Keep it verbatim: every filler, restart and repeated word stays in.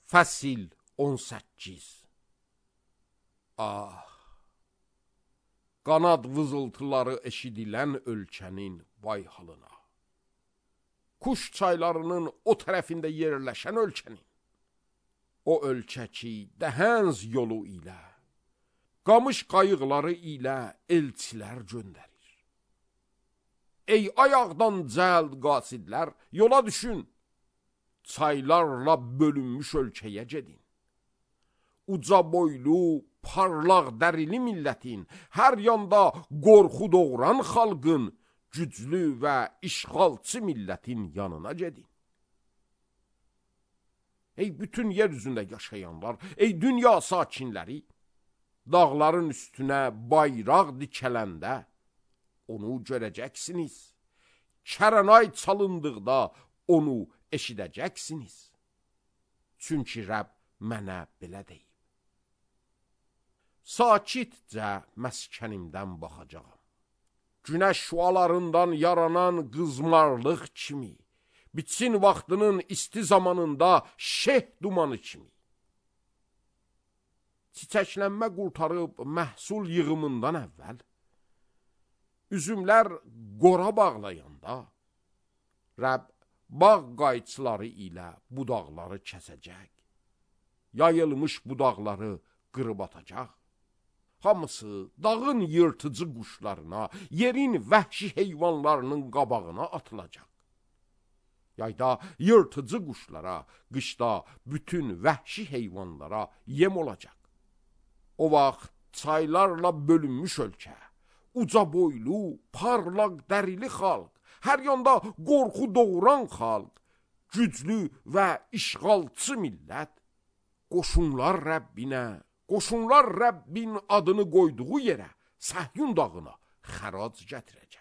Fəsil on səkkiz. Ah, qanad vızıltıları eşidilən ölkənin vay halına. Kuş çaylarının o tərəfində yerləşən ölkənin, o ölkə ki, dəhənz yolu ilə, qamış qayıqları ilə elçilər göndərir. Ey ayaqdan cəld qasidlər, yola düşün, çaylarla bölünmüş ölkəyə gedin. Uca boylu, parlaq dərili millətin, hər yanda qorxu doğuran xalqın, güclü və işğalçı millətin yanına gedin. Ey bütün yer üzündə yaşayanlar, ey dünya sakinləri, dağların üstünə bayraq dikələndə onu görəcəksiniz. Kərənay çalındıqda onu eşidəcəksiniz. Çünki Rəbb mənə belə deyib. Sakitcə məskənimdən baxacağam. Günəş şüalarından yaranan qızmarlıq kimi, bitsin vaxtının isti zamanında şeh dumanı kimi. Çiçəklənmə qurtarıb məhsul yığımından əvvəl, üzümlər qora bağlayanda, Rəbb bağ qayçıları ilə budaqları kəsəcək, yayılmış budaqları qırıb atacaq. Hamısı dağın yırtıcı quşlarına, yerin vəhşi heyvanlarının qabağına atılacaq. Yayda yırtıcı quşlara, qışda bütün vəhşi heyvanlara yem olacaq. O vaxt çaylarla bölünmüş ölkə, uca boylu, parlaq dərili xalq, hər yanda qorxu doğuran xalq, güclü və işğalçı millət, qoşunlar Rəbbinə, qoşunlar Rəbbin adını qoyduğu yerə, Səhyun dağına xərac gətirəcək.